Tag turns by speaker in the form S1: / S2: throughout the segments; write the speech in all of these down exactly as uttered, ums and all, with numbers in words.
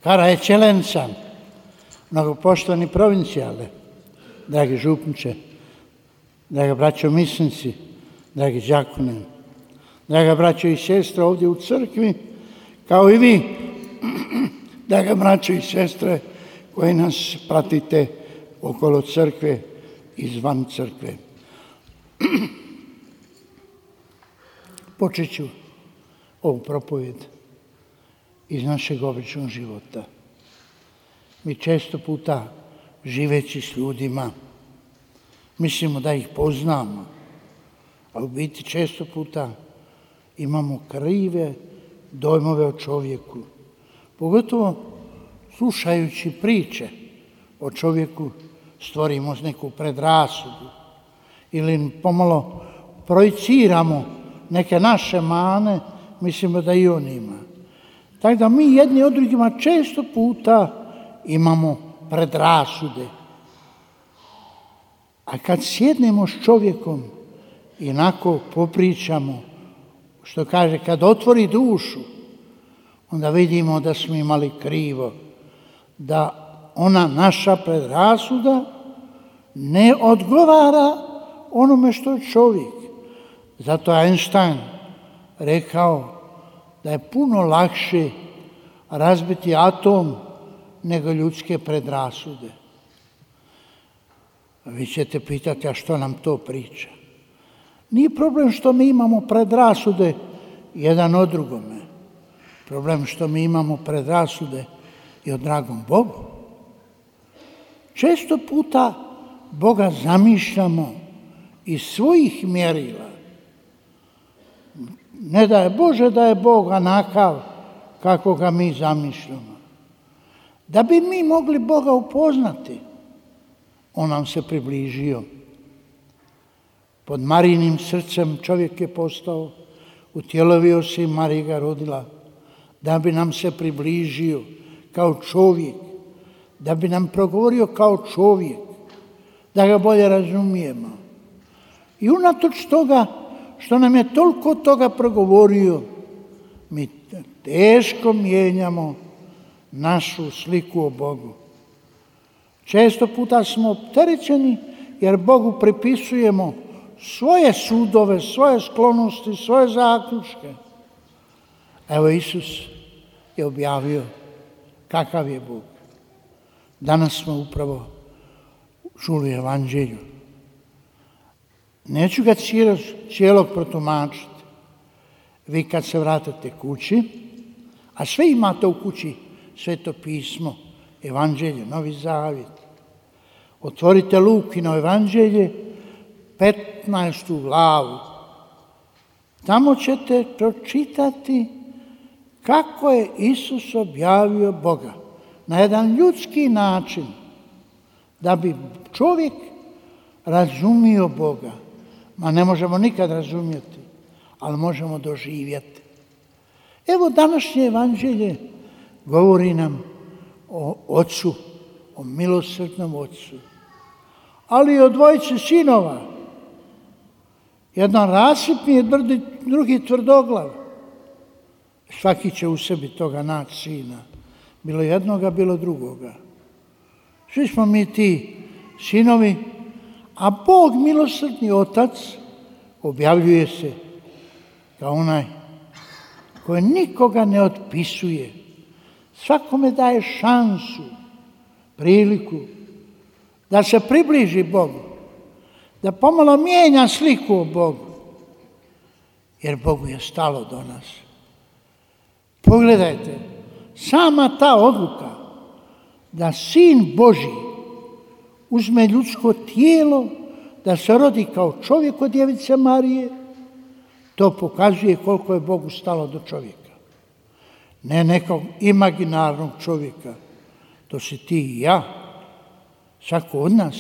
S1: Cara eccellenza, mnogopoštovani provincijale, dragi župniče, draga braćo misnici, dragi đakone, draga braćo i sestre ovdje u crkvi, kao i vi, draga braćo i sestre koji nas pratite okolo crkve i izvan crkve. Počet ću ovu propovjed iz našeg običnog života. Mi često puta, živeći s ljudima, mislimo da ih poznamo, a u biti često puta imamo krive dojmove o čovjeku. Pogotovo slušajući priče o čovjeku stvorimo neku predrasudu ili pomalo projiciramo neke naše mane, mislimo da i on ima. Tako da mi jedni od drugima često puta imamo predrasude. A kad sjednemo s čovjekom i onako popričamo, što kaže, kad otvori dušu, onda vidimo da smo imali krivo, da ona naša predrasuda ne odgovara onome što je čovjek. Zato je Einstein rekao da je puno lakše razbiti atom nego ljudske predrasude. Vi ćete pitati, a što nam to priča? Nije problem što mi imamo predrasude jedan o drugome. Problem što mi imamo predrasude i o dragom Bogu. Često puta Boga zamišljamo iz svojih mjerila. Ne da je Bože da je Bog onakav kako ga mi zamišljamo. Da bi mi mogli Boga upoznati, on nam se približio. Pod Marijinim srcem čovjek je postao, utjelovio se i Marija ga rodila, da bi nam se približio kao čovjek, da bi nam progovorio kao čovjek, da ga bolje razumijemo. I unatoč toga što nam je toliko toga progovorio, mi teško mijenjamo našu sliku o Bogu. Često puta smo opterećeni jer Bogu pripisujemo svoje sudove, svoje sklonosti, svoje zaključke. Evo Isus je objavio kakav je Bog. Danas smo upravo čuli evanđelju. Neću ga cijelog protumačiti. Vi kad se vratite kući, a sve imate u kući, Sveto pismo, evanđelje, Novi zavjet. Otvorite Lukino evanđelje, petnaestu glavu. Tamo ćete pročitati kako je Isus objavio Boga na jedan ljudski način, da bi čovjek razumio Boga. Ma ne možemo nikad razumjeti, ali možemo doživjeti. Evo današnje evanđelje govori nam o ocu, o milosrdnom ocu, ali i o dvojici sinova. Jedan rasipni, drugi tvrdoglav. Svaki će u sebi toga naći sina. Bilo jednoga, bilo drugoga. Svi smo mi ti sinovi, a Bog, milosrdni otac, objavljuje se kao onaj koji nikoga ne otpisuje. Svakome daje šansu, priliku da se približi Bogu, da pomalo mijenja sliku o Bogu, jer Bogu je stalo do nas. Pogledajte, sama ta odluka da Sin Božji uzme ljudsko tijelo, da se rodi kao čovjek od djevice Marije, to pokazuje koliko je Bogu stalo do čovjeka. Ne nekog imaginarnog čovjeka, to si ti i ja. Svako od nas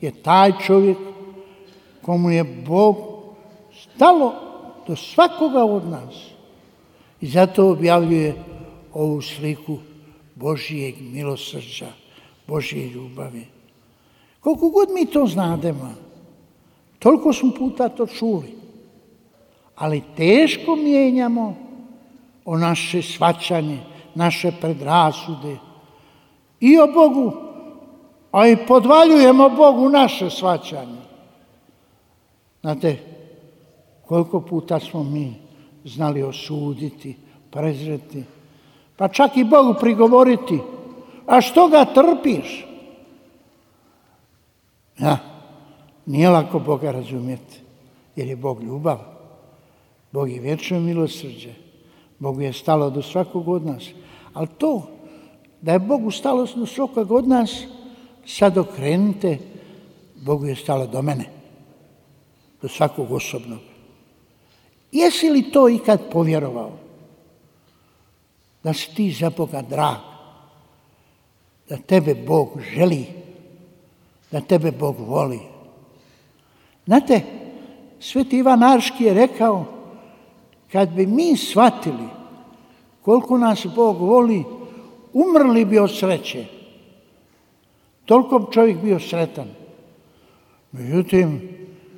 S1: je taj čovjek komu je Bog stalo do svakoga od nas. I zato objavljuje ovu sliku Božijeg milosrđa, Božije ljubavi. Koliko god mi to znademo, toliko smo puta to čuli, ali teško mijenjamo o naše shvaćanje, naše predrasude i o Bogu, a i podvaljujemo Bogu naše shvaćanje. Znate, koliko puta smo mi znali osuditi, prezreti, pa čak i Bogu prigovoriti, a što ga trpiš? Ja, nije lako Boga razumjeti, jer je Bog ljubav. Bog je vječno milosrđe. Bogu je stalo do svakog od nas. Ali to, da je Bogu stalo do svakog od nas, sad okrenite, Bogu je stalo do mene. Do svakog osobnog. Jesi li to ikad povjerovao? Da si ti za Boga drag. Da tebe Bog želi. Da tebe Bog voli. Znate, Sveti Ivan Arški je rekao, kad bi mi shvatili koliko nas Bog voli, umrli bi od sreće. Toliko bi čovjek bio sretan. Međutim,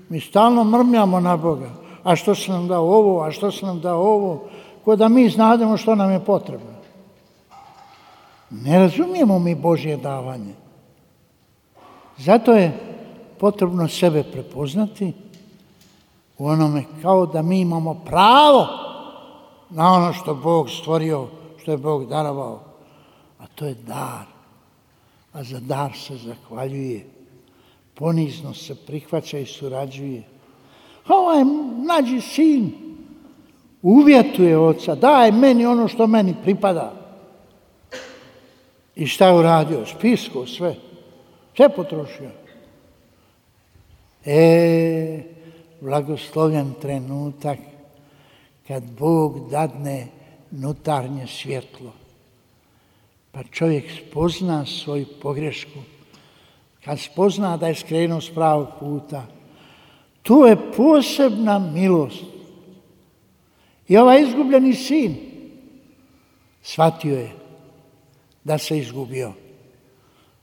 S1: mi stalno mrmljamo na Boga. A što se nam dao ovo, a što se nam dao ovo, ko da mi znademo što nam je potrebno. Ne razumijemo mi Božje davanje. Zato je potrebno sebe prepoznati u onome kao da mi imamo pravo na ono što Bog stvorio, što je Bog darovao. A to je dar. A za dar se zahvaljuje. Ponizno se prihvaća i surađuje. Ovaj mlađi sin uvjetuje oca, daj meni ono što meni pripada. I šta je uradio? Spisko sve. Sve potrošio. E, blagoslovljen trenutak kad Bog dadne nutarnje svjetlo. Pa čovjek spozna svoju pogrešku. Kad spozna da je skrenuo s pravog puta, to je posebna milost. I ovaj izgubljeni sin shvatio je da se izgubio.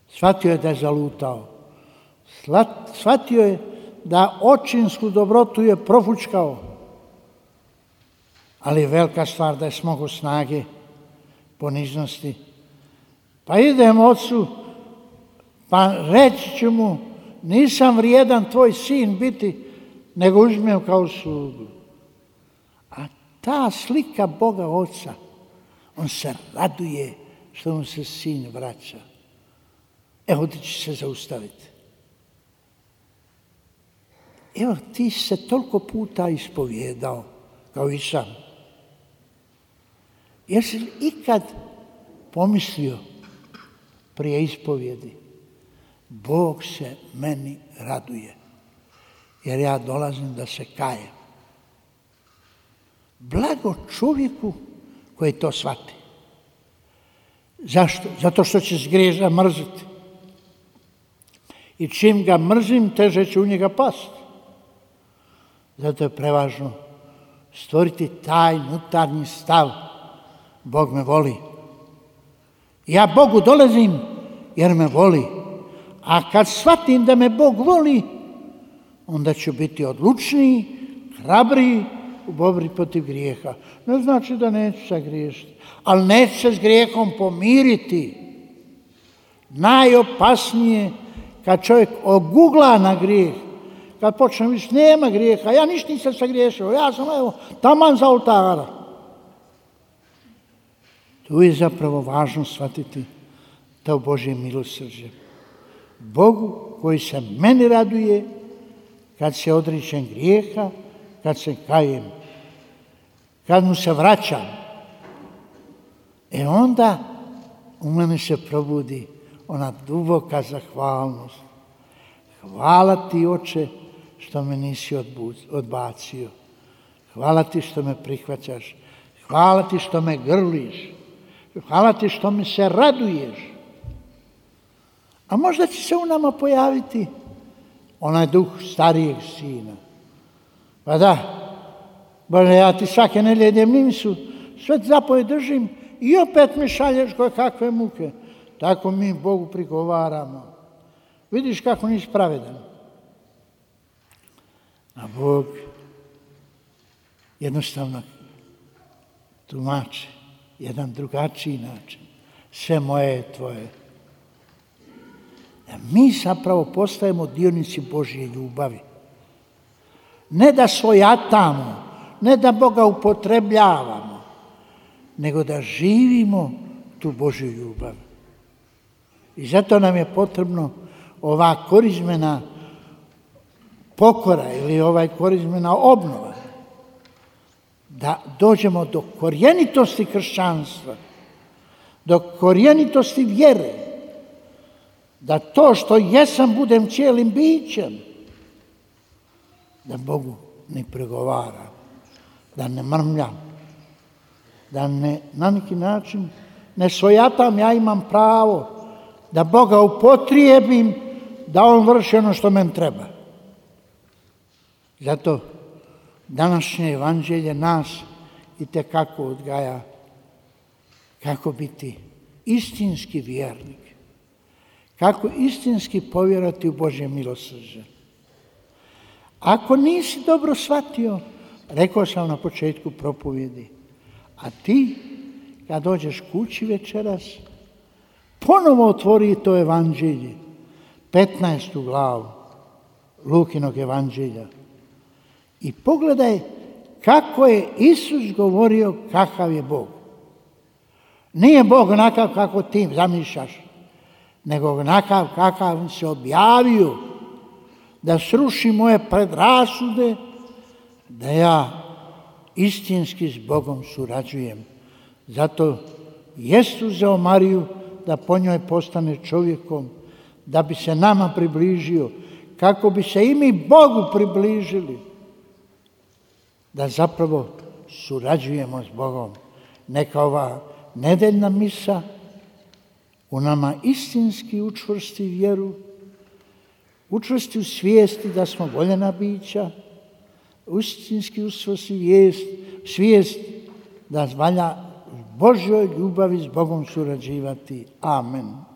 S1: Shvatio je da je zalutao. Shvatio je da očinsku dobrotu je profučkao. Ali je velika stvar da je smogao snage, poniznosti. Pa idem ocu, pa reći ću mu, nisam vrijedan tvoj sin biti, nego uzmem kao slugu. A ta slika Boga Oca, on se raduje što mu se sin vraća. Evo ti će se zaustaviti. Evo ti se toliko puta ispovjedao, kao i sam. Jesi li ikad pomislio prije ispovjedi, Bog se meni raduje, jer ja dolazim da se kajem. Blago čovjeku koji to shvati. Zašto? Zato što će zgrijeha mrziti. I čim ga mrzim, teže će u njega pasti. Zato je prevažno stvoriti taj unutarnji stav. Bog me voli. Ja Bogu dolazim jer me voli. A kad shvatim da me Bog voli, onda ću biti odlučniji, hrabriji u borbi protiv grijeha. Ne znači da neću sagriješiti, ali neću se s grijehom pomiriti. Najopasnije kad čovjek ogugla na grijeh, kad počne više nema grijeha, ja ništa nisam sagriješio, ja sam evo taman za oltara. Tu je zapravo važno shvatiti to Božje milosrđe. Bogu koji se meni raduje kad se odričem grijeha, kad se kajem, kad mu se vraćam. E onda u mene se probudi ona duboka zahvalnost. Hvala ti, Oče, što me nisi odbacio. Hvala ti što me prihvaćaš. Hvala ti što me grliš. Hvala ti što mi se raduješ. A možda će se u nama pojaviti onaj duh starijeg sina. Pa da, Bože, ja ti svake nedjelje idem nisu, sve zapovjed držim i opet mi šalješ koje kakve muke. Tako mi Bogu prigovaramo. Vidiš kako nisi pravedan. A Bog jednostavno tumači jedan drugačiji način. Sve moje je tvoje. Da mi zapravo postajemo dionici Božje ljubavi. Ne da svojatamo, ne da Boga upotrebljavamo, nego da živimo tu Božju ljubav. I zato nam je potrebno ova korizmena pokora ili ovaj korizmena obnova. Da dođemo do korjenitosti kršćanstva, do korjenitosti vjere. Da to što jesam budem cijelim bićem. Da Bogu ne pregovara, da ne mrmljam, da ne, na neki način ne svojatam, ja imam pravo da Boga upotrijebim, da On vrši ono što meni treba. Zato današnje evanđelje nas itekako odgaja kako biti istinski vjernik, kako istinski povjerovati u Božje milosrđe. Ako nisi dobro shvatio, rekao sam na početku propovjedi, a ti kad dođeš kući večeras, ponovo otvori to evanđelje, petnaestu glavu Lukinog evanđelja i pogledaj kako je Isus govorio kakav je Bog. Nije Bog onakav kako ti zamišljaš, nego onakav kakav se objavio da sruši moje predrasude, da ja istinski s Bogom surađujem. Zato jest uzeo Mariju da po njoj postane čovjekom, da bi se nama približio, kako bi se i mi Bogu približili, da zapravo surađujemo s Bogom. Neka ova nedeljna misa u nama istinski učvrsti vjeru, učvrsti u svijesti da smo voljena bića, istinski učvrsti vijest, svijest da valja Božjoj ljubavi s Bogom surađivati. Amen.